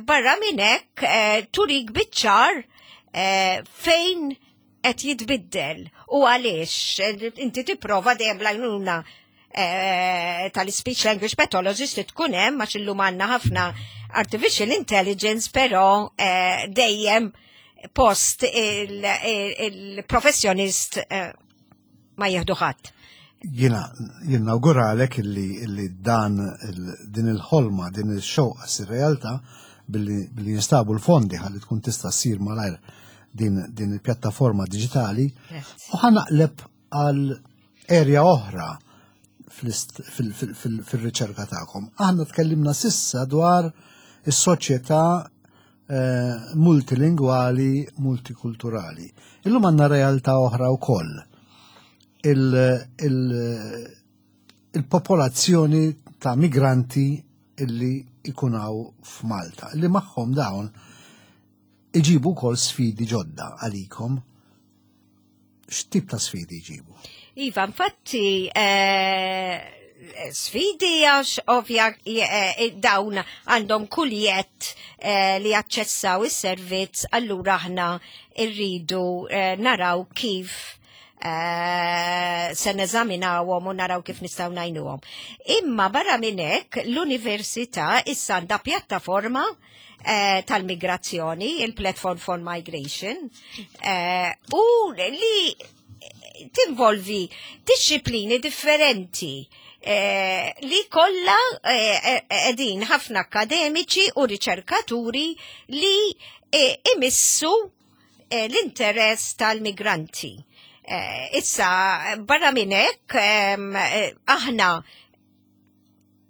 barra minn hekk turik biċ-ċar fejn qed jitbiddel u għaliex inti tipprova dejjem bl-għajnuna eh, tal-speech language pathologist li tkun hemm għax illum għandna ħafna artificial intelligence però eh, dejjem post il-professjonist eh, ma jieħdu ħadd. Jina, jinnawguralek illi, illi dan din il-ħolma, din il-xewqa sir realtà billi, billi jinstabu l-fondi ħalli tkun tista' ssir malajr din, din il-pjattaforma digitali. U ħanaqleb għal area oħra fil-riċerka tagħkom. Aħna tkellimna sissa dwar is-soċjetà eh, multilingwali, multikulturali. Illum għandna realtà oħra wkoll. Il-popolazzjoni ta' migranti illi ikunaw f'Malta, li magħhom dawn iġibu wkoll sfidi ġodda għalikom. X'tip ta' sfidi jġibu? Iva, infatti, eh, sfidi għax ovvja eh, dawn għandhom kull jett eh, li jaċċessaw is-servizz, allura aħna rridu naraw kif se neżaminawhom u naraw kif nistgħu ngħinuhom. Imma barra minn hekk l-università issa għandha pjattaforma Eh, tal-migrazzjoni, il-Platform for Migration, eh, u li tinvolvi disciplini differenti eh, li kollha edin ħafna akademiċi u riċerkaturi li imissu l-interess tal-migranti. Issa, barra minn hekk, aħna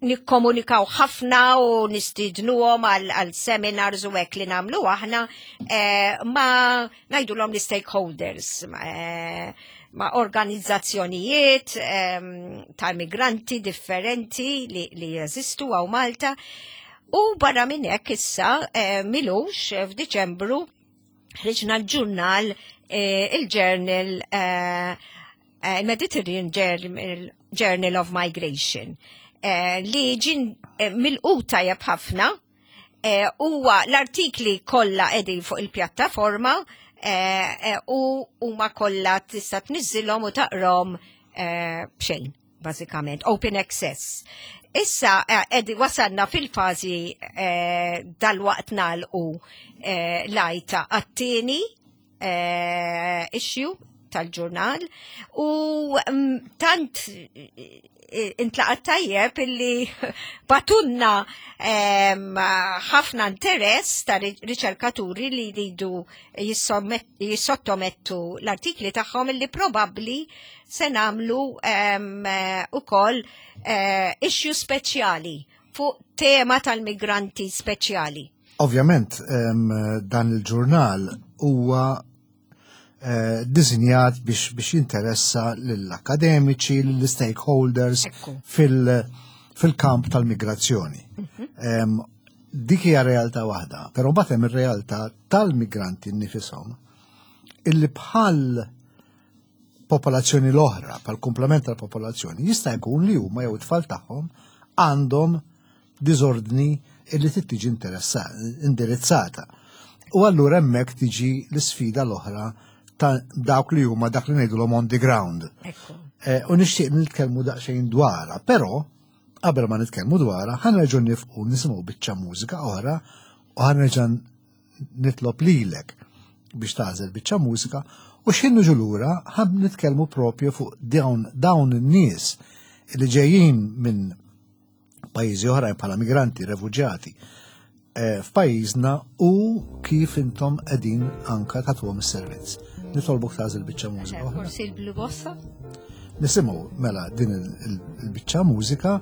nikkomunikaw ħafna u nistidnuhom għal seminars u hekk li nagħmlu aħna eh, ma ngħidulhom l-stakeholders eh, ma' organizzazzjonijiet eh, tal-migranti differenti li, li jeżistu għaw Malta. U barra minn hekk issa eh, milux eh, f'Diċembru ħriġna l-ġurnal eh, il-journal eh, Eh, Mediterranean Journal of Migration eh, li ġin eh, mill-quta tajjeb ħafna huwa l-artikli kollha qegħdin fuq il-pjattaforma u huma kollha tista' tniżżilhom u taqrom b'xejn bażikament, open access. Issa edi wasalna fil-fażi dal-waqt nagħlqu lajta għat-tieni eh, issue tal-ġurnal u mm, tant eh, intlaqat tajjeb illi batunna ħafna interess ta' riċerkaturi li jridu jissottomettu l-artikli tagħhom illi probabbli se nagħmlu ukoll eh, issue speċjali fuq tema tal-migranti speċjali. Ovvjament dan il-ġurnal huwa eh, disinjat biex, biex jinteressa lill-akademiċi, lill-stakeholders fil-kamp tal-migrazzjoni. Mhm. Dik hija realtà waħda, però mbagħad hemm ir-realtà tal-migranti nnifisom illi bħal popolazzjoni l-oħra, bħal komplement tal-popolazzjoni, jista' jkun li huma jew it-tfal tagħhom għandhom diżordni illi trid tiġi indirizzata. U allura hemmhekk tiġi l-isfida l-oħra ta' dawk li huma dak li ngħidulhom on the ground. Eh, u nixtieq nitkellmu daqsxejn dwarha, però qabel ma nitkellmu dwarha, ħanerġgħu nifqu nisimgħu biċċa mużika oħra u ħanerġa' nitlob lilek biex tagħżel biċċa mużika u x'ħin niġu lura ħan nitkellmu propju fuq dawn dawn in-nies li ġejjin minn pajjiżi oħrajn bħala migranti, refuġjati eh, f'pajjiżna u kif intom qegħdin anka tagħtuhom is-servizz. Nitolbok tagħżel biċċa mużika. Eh, forsi l-Blue Bossa? Nisimgħu mela din il-biċċa mużika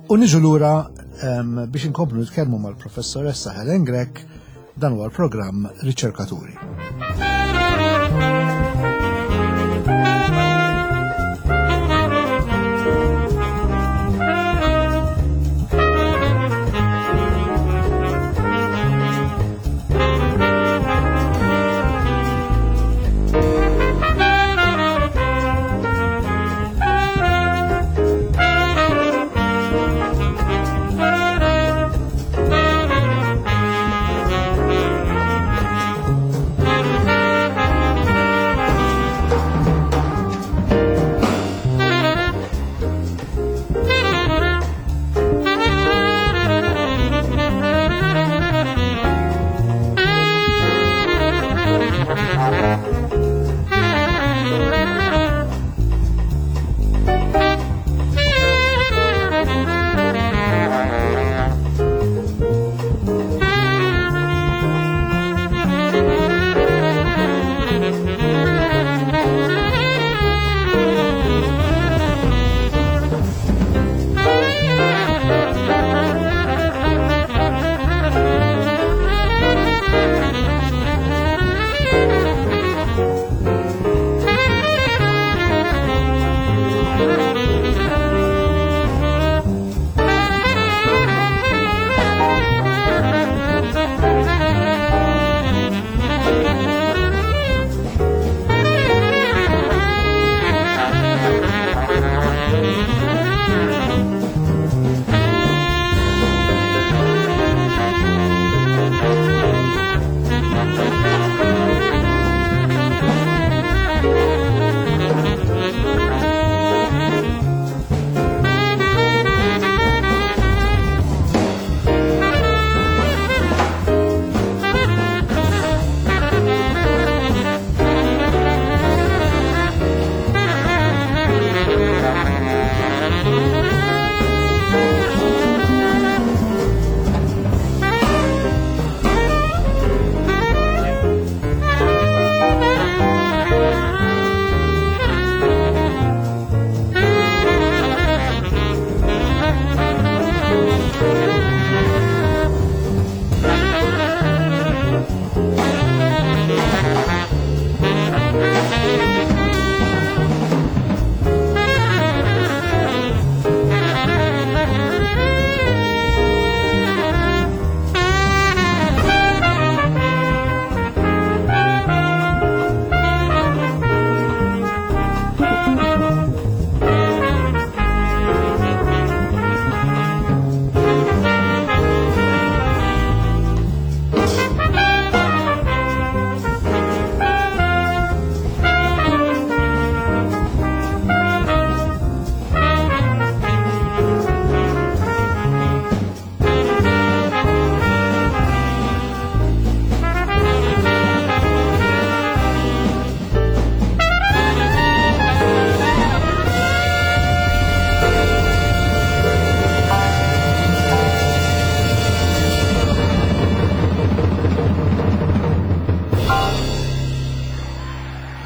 u niġu lura ehm, biex inkomplu nitkellmu mal-professoressa Helen Grech dan huwa l-programm Riċerkaturi.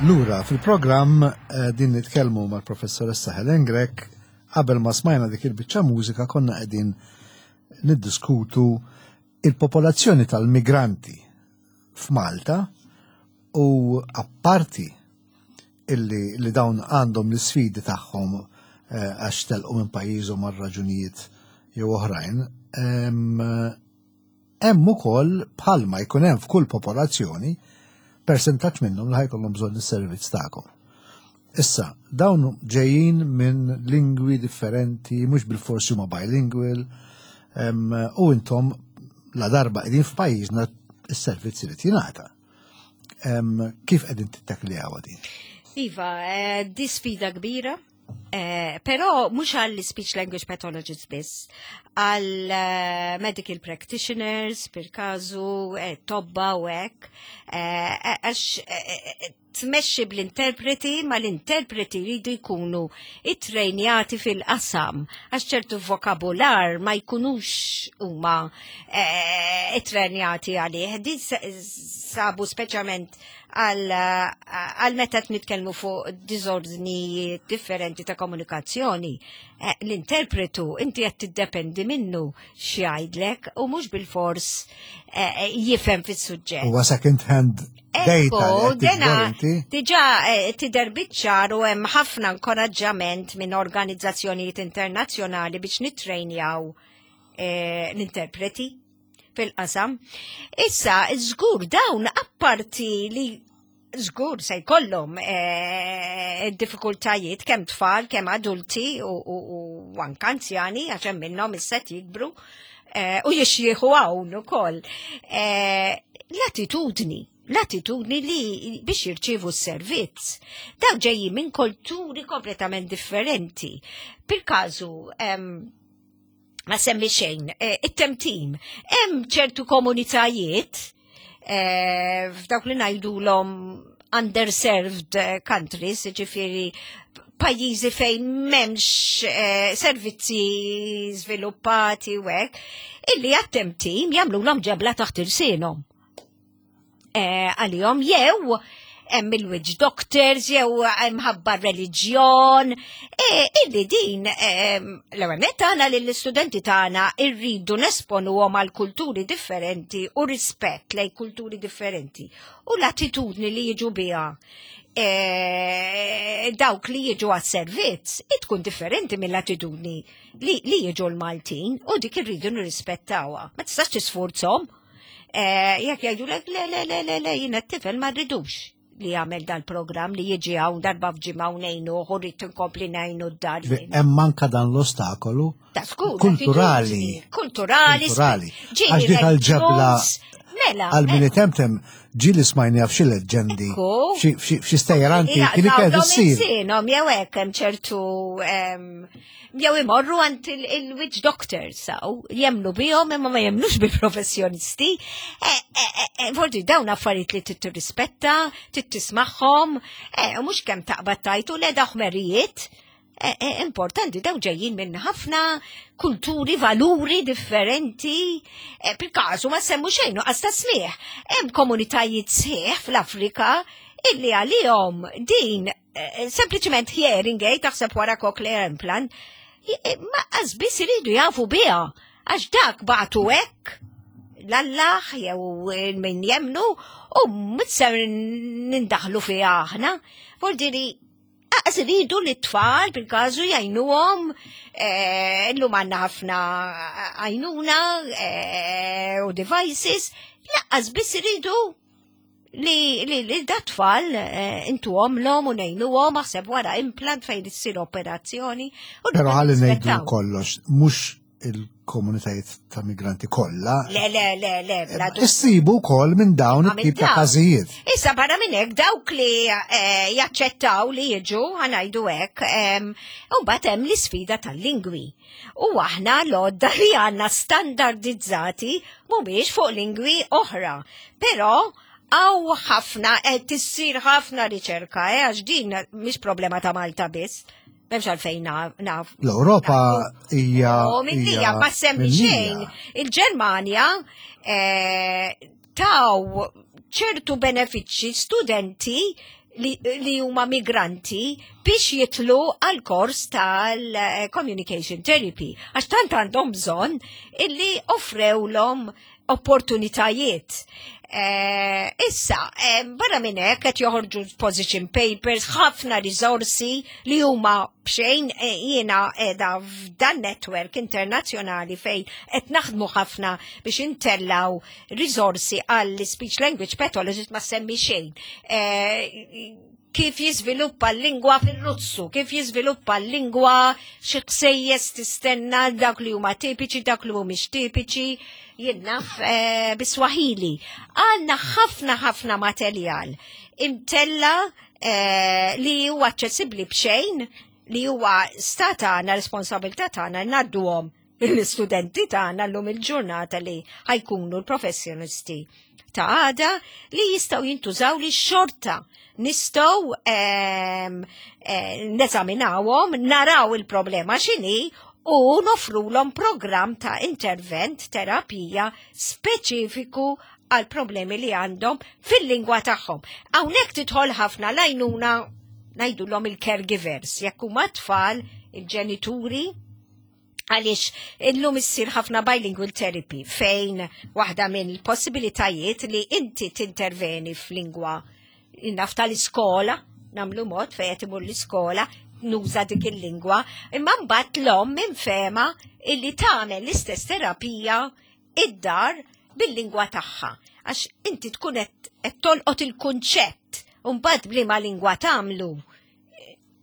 Lura fil-programm eh, din nitkellmu mal-professoressa Helen Grech qabel ma smajna dik il-biċċa mużika konna qegħdin niddiskutu il-popolazzjoni tal-migranti f'Malta u apparti illi li dawn għandhom l-sfidi tagħhom eh, għax telqu minn pajjiżhom għal raġunijiet jew oħrajn, hemm ukoll bħalma jkun hemm f'kull popolazzjoni persentaġġ minnhom li ħajkollhom bżonn is-servizz tagħkom. Issa, dawn ġejjin minn lingwi differenti, mhux bil-forsi huma bilingual, u intom la darba qegħdin f'pajjiżna is-servizz irid jingħata. Kif qegħdin tittakliha din? Iva, eh, di sfida kbira, eh, però mhux għall speech language pathologists biss, għal eh, medical practitioners, per kazu, tobba u hekk, għax tmexxi bl-interpreti ma l-interpreti jridu jkunu ittrejnjati fil-qasam għax ċertu vokabular ma jkunux huma eh, ittrejnjati għalih. Din sabu speċjalment għal meta qed nitkellmu fuq diżordni differenti ta' komunikazzjoni. Eh, l-interpretu inti qed tiddependi minnu x'jgħidlek u mhux bil-fors eh, jifhem fis-suġġett. Huwa second hand data. Dena diġà eh, tidher biċ-ċar u hemm ħafna inkoraġġament minn organizzazzjonijiet internazzjonali biex nittrejnjaw l-interpreti fil-qasam. Issa, żgur dawn apparti li żgur se jkollhom eh, diffikultajiet kemm tfal, kemm adulti u, u, u anke anzjani għax hemm minnhom issa jikbru eh, u jixjieħu hawn ukoll. Eh, l-attitudni l-attitudni li biex jirċievu s-servizz. Daw ġejjin minn kulturi kompletament differenti. Per każu, ma semmi xejn, it-temtim. Hemm ċertu komunitajiet eh, f'dawk li ngħidulhom underserved eh, countries, ġifieri pajjiżi fejn m'hemmx eh, servizzi żviluppati u hekk, illi għat-temtim jagħmluhom ġebla taħt irsienhom. Eh, għalihom jew hemm il-witch doctors jew mħabba reliġjon. E, illi din l-ewwel nett tagħna li l-istudenti tagħna rridu nesponuhom għal kulturi differenti u rispett lej kulturi differenti u l-attitudni li jiġu biha e, dawk li jiġu għas-servizz tkun differenti mill-attitudni li, li jiġu l-Maltin u dik irridu nirrispettawha. Ma tistax tisfurzhom. Eh, jekk jgħidulek le le le le le jiena t-tifel ma rridux li jagħmel dal-programm li jiġi hawn darba f'ġimgħa u ngħinu u rrid inkompli ngħinu d-dar. Hemm manka dan l-ostakolu kulturali. Kulturali. Kulturali. Għax dik għal-ġebla Mela. Għal min eh. itemtem ġili smajni għaf xi leġġendi, f'xi stejjer antiki li kienet issir. Sinhom jew hekk hemm ċertu jew imorru għand il-witch doctors saw, jemnu bihom imma ma jemnux bil-professjonisti. E, e, e, Vordi dawn affarijiet li trid tirrispetta, trid tismagħhom, u mhux kemm taqbad tajtu le daħmerijiet. Importanti daw ġejjin minn ħafna kulturi, valuri differenti. Bil-kasu ma semmu xejn nuqqas ta' smieħ. Hemm komunitajiet sħiħ fl-Afrika illi għalihom din Eh, sempliċement hearing aid taħseb wara cochlear implant, eh, ma biss iridu jafu biha għax dak batu hekk l-Allah jew min jemnu u mitser nindaħlu fiha aħna. Vuol aqas iridu li t-tfal bil-każu jgħinuhom eh, illum għandna ħafna għajnuna u devices, laqqas biss iridu li li li da tfal eh, intuhom l-om u ngħinuhom aħseb wara implant fejn issir operazzjoni. Però ħalli ngħidu kollox, mhux il-komunitajiet ta' migranti kollha. Le, le, le, le, bla eh, Issibu wkoll minn dawn it-tip ta' każijiet. Issa barra minn hekk dawk li eh, jaċċettaw li jiġu ħanajdu hekk, u mbagħad hemm l-isfida tal-lingwi. U aħna l-għodda li għandna standardizzati mhumiex fuq lingwi oħra. Però għaw ħafna, qed tissir ħafna riċerka, eh, għax din mhix problema ta' Malta biss. M'hemmx għalfejn naf. L-Ewropa hija. U minnija ma semmi xejn. Il-Ġermanja eh, taw ċertu benefiċċji studenti li, li huma migranti biex jitlu għal kors tal-communication therapy. Għax tant għandhom bżonn illi offrewlhom opportunitajiet. Eh, issa, eh, barra minn hekk qed joħorġu position papers, ħafna riżorsi li huma b'xejn eh, jiena qiegħda f'dan network internazzjonali fejn qed naħdmu ħafna biex intellaw riżorsi għall speech language pathologist ma semmi xejn. Eh, kif jiżviluppa l-lingwa fil-Russu, kif jiżviluppa l-lingwa xi ħsejjes tistenna dawk li huma tipiċi, dawk li mhumiex tipiċi, jien naf eh, bis-Swahili. Għandna ħafna ħafna materjal imtella eh, li huwa aċċessibbli b'xejn li huwa sta tagħna responsabilità tagħna ngħadduhom. L-istudenti tagħna llum il-ġurnata li ħa jkunu l-professjonisti ta' għada li jistgħu jintużaw li xorta nistgħu neżaminawhom, naraw il-problema x'inhi u nofrulhom programm ta' intervent terapija speċifiku għal problemi li għandhom fil-lingwa tagħhom. Hawnhekk tidħol ħafna l-għajnuna ngħidulhom il-caregivers, jekk huma tfal, il-ġenituri, għaliex illum issir ħafna bilingual therapy fejn waħda minn possibilitajiet li inti tinterveni f'lingwa naf tal-iskola, nagħmlu mod fejn qed imur l-iskola, nuża dik il-lingwa, imma mbagħad l-omm minfema illi tagħmel l-istess terapija id-dar bil-lingwa tagħha. Għax inti tkun qed tolqot il-kunċett u mbagħad b'liema lingwa tagħmlu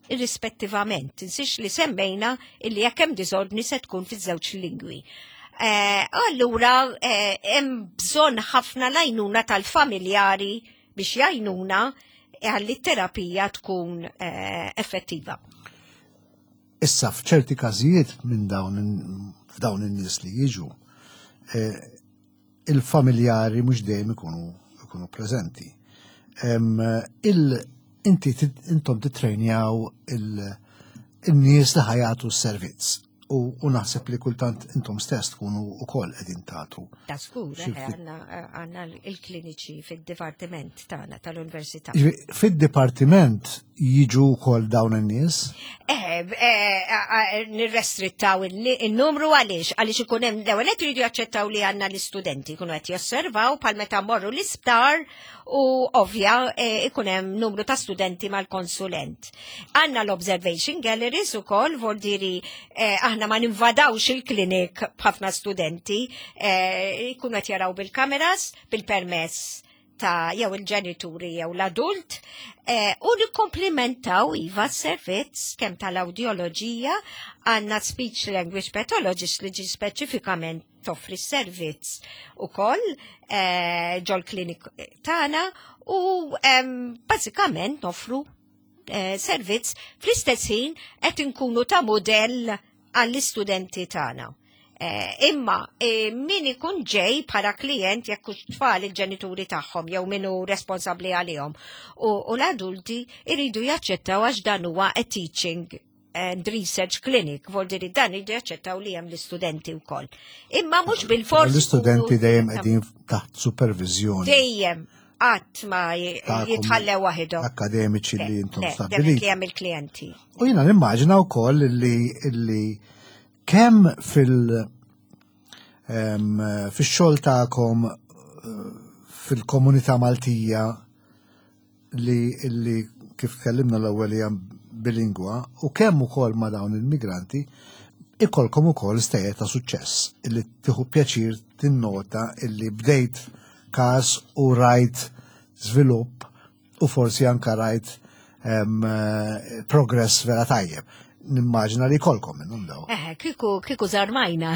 irrispettivament. Tinsix li semmejna illi jekk hemm diżordni se tkun fiż-żewġ lingwi. Allura hemm bżonn ħafna l-għajnuna tal-familjari biex jgħinuna għalli terapija tkun effettiva. Issa f'ċerti każijiet minn dawn f'dawn in-nies li jiġu, il-familjari mhux dejjem ikunu preżenti. Inti intom titrejnjaw il-nies li ħa jagħtu s-servizz u naħseb li kultant intom stess tkunu ukoll qegħdin tagħtu. Ta' skur, għandna il-kliniċi fid-dipartiment tagħna tal-università. Fid-dipartiment jiġu wkoll dawn in-nies? Nirrestrittaw il-numru għaliex, għaliex ikun hemm l-ewwel qed iridu jaċċettaw li għandna l-istudenti jkunu qed josservaw bħal meta mmorru l-isptar u ovvja ikun hemm numru ta' studenti mal-konsulent. Għandna l-observation galleries ukoll, voldiri aħna ma ninvadawx il-klinik b'ħafna studenti, jkunu qed jaraw bil-kameras, bil-permess ta' jew il-ġenituri jew l-adult, u nikkomplimentaw iva s-servizz kemm tal-awdjoloġija, għandna speech language pathologist li ġi speċifikament toffri s-servizz ukoll ġol klinik tagħna u bażikament noffru servizz fl-istess ħin qed inkunu ta' modell għall-istudenti tagħna. Imma min ikun ġej bħala klient jekk hux tfal il-ġenituri tagħhom jew min hu responsabbli għalihom u l-adulti iridu jaċċettaw għax dan huwa a teaching and research clinic, voldiri dan iridu jaċċettaw li hemm l-istudenti wkoll. Imma mhux bil-fors. L-istudenti dejjem qegħdin taħt supervizjoni. Dejjem qatt ma jitħallew waħedhom. Akademiċi li intom stabbiliti. Li hemm il-klijenti. U jiena nimmaġina wkoll li kemm fil-xogħol tagħkom fil-komunità Maltija li kif tkellimna l-ewwel hija bilingwa u kemm ukoll ma' dawn il-migranti ikolkom ukoll stejjer ta' suċċess illi tieħu pjaċir tinnota illi bdejt każ u rajt żvilupp u forsi anka rajt progress vera tajjeb. Nimmaġina li kolkom minnhom daw. Kieku żarmajna.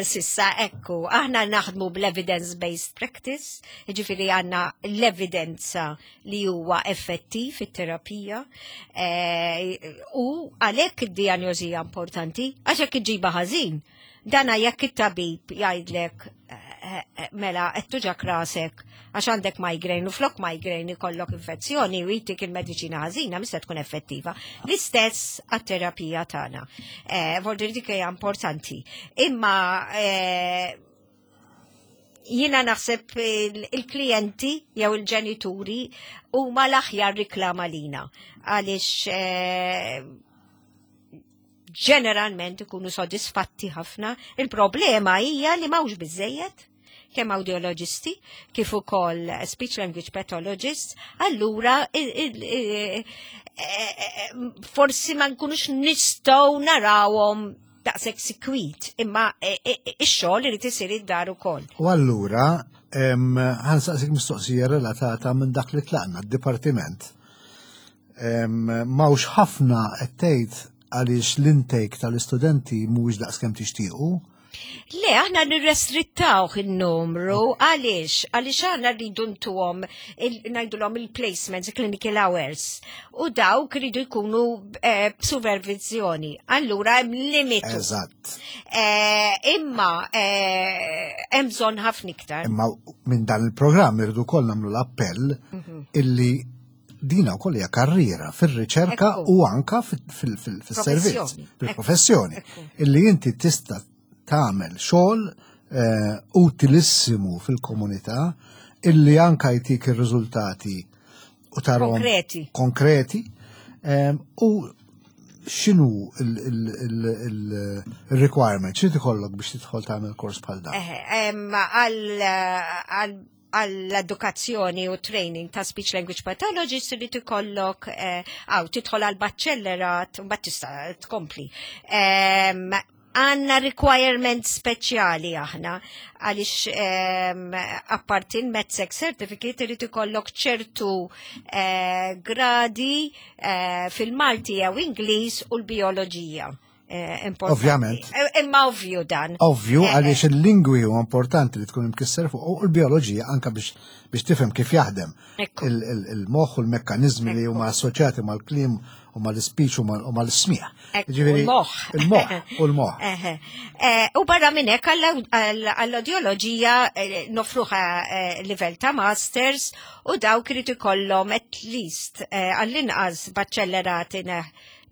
Sissa, ekku, aħna naħdmu bl-evidence-based practice, ġifieri għandna l-evidenza li huwa effettiv fit-terapija, u għalhekk id-dijanjosi hija importanti, għax jekk iġiba ħażin, dana jekk it-tabib jgħidlek mela qed tuġak rasek għax għandek migraine u flok migraine ikollok infezzjoni u jtik il-mediċina ħażina mista tkun effettiva. L-istess għat-terapija tagħna. Voldiri dik hija importanti. Imma jiena naħseb il-klijenti jew il-ġenituri huma l-aħjar riklama lina għaliex ġeneralment ikunu sodisfatti ħafna. Il-problema hija li m'hawnx biżejjed kemm audiologisti kif ukoll speech language pathologists, allura forsi ma nkunux nistgħu narawhom daqshekk sikwit, imma ix-xogħol irid isir id-dar ukoll. U allura ħa nsaqsik mistoqsija relatata minn dak li tlaqna d-dipartiment. M'hawnx ħafna qed tgħid għaliex l-intake tal-istudenti mhuwiex daqskemm tixtiequ. Le, aħna nirrestrittawh il-numru, għaliex? Għaliex aħna rridu ntuhom ngħidulhom il-placements, clinical hours, u dawk rridu jkunu eh, b'supervizjoni. Allura hemm limitu. Eżatt. Eh, imma eh, hemm bżonn ħafna iktar. Imma minn dan il-programm irridu wkoll nagħmlu l-appell mhm. illi dina wkoll hija karriera fir-riċerka u anka fil-servizz, fil-professjoni, illi inti tista' tagħmel xogħol eh, utilissimu fil-komunità illi anka jtik ir-riżultati u tarhom konkreti. Konkreti eh, u xinu il-requirement, xinu tikollok biex tidħol tagħmel kors bħal dan? Għall-edukazzjoni u training ta' speech language pathologist li tikollok eh, għaw tidħol għal baċċellerat u bat tista' tkompli. Għanna requirement speċjali aħna għaliex apparti l-MedSec certificate irid ikollok ċertu eh, gradi eh, fil-Malti jew Ingliż u l-bioloġija. Eh, Ovvjament. Eh, imma ovvju dan. Ovvju, eh, għaliex il-lingwi huwa importanti li tkun imkisser fuq u l-bioloġija anka biex biex tifhem kif jaħdem il-moħħ u l-mekkanizmi li huma assoċjati mal-kliem u mal-speech u mal-smieħ. Il-moħħ. Il-moħħ u l-moħħ. U barra minn hekk għall-audioloġija nofruħa livell ta' masters u dawk irid ikollhom at least għall-inqas baċċellerat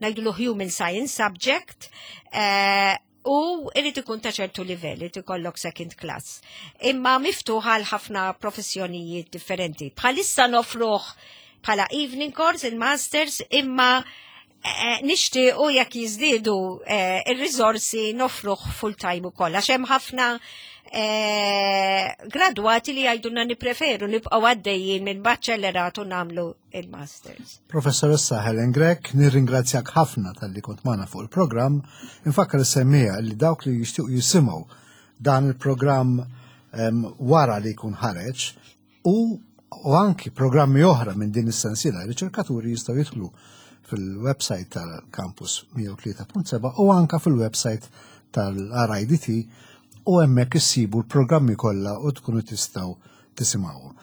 ngħidulu human science subject, eh, u irrid ikun ta' ċertu livell, irid ikollok second class. Imma miftuħ għal ħafna professjonijiet differenti. Bħalissa nofruh bħala evening course, il-masters, imma eh, nixtiequ jekk jiżdiedu eh, ir-riżorsi nofruh full time ukoll għax hemm ħafna gradwati li jgħidulna nippreferu nibqgħu għaddejjin minn baċċellerat u nagħmlu il-masters. Professoressa Helen Grech, nirringrazzjak ħafna talli kont magħna fuq il-programm. Infakkar is-semmiegħa li dawk li jixtiequ jisimgħu dan il-programm wara li jkun ħareġ u u anki programmi oħra minn din is-sensiela riċerkaturi jistgħu jidħlu fil-website tal-Campus 103.7 u anka fil-website tal-RIDT u hemmhekk issibu l-programmi kollha u tkunu tistgħu tisimgħuhom.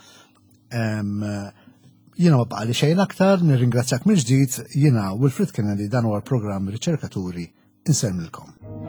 Jiena ma baqali xejn aktar, nirringrazzjak mill-ġdid, jiena Wilfred Kennedy dan huwa l-programm Riċerkaturi insellmilkom.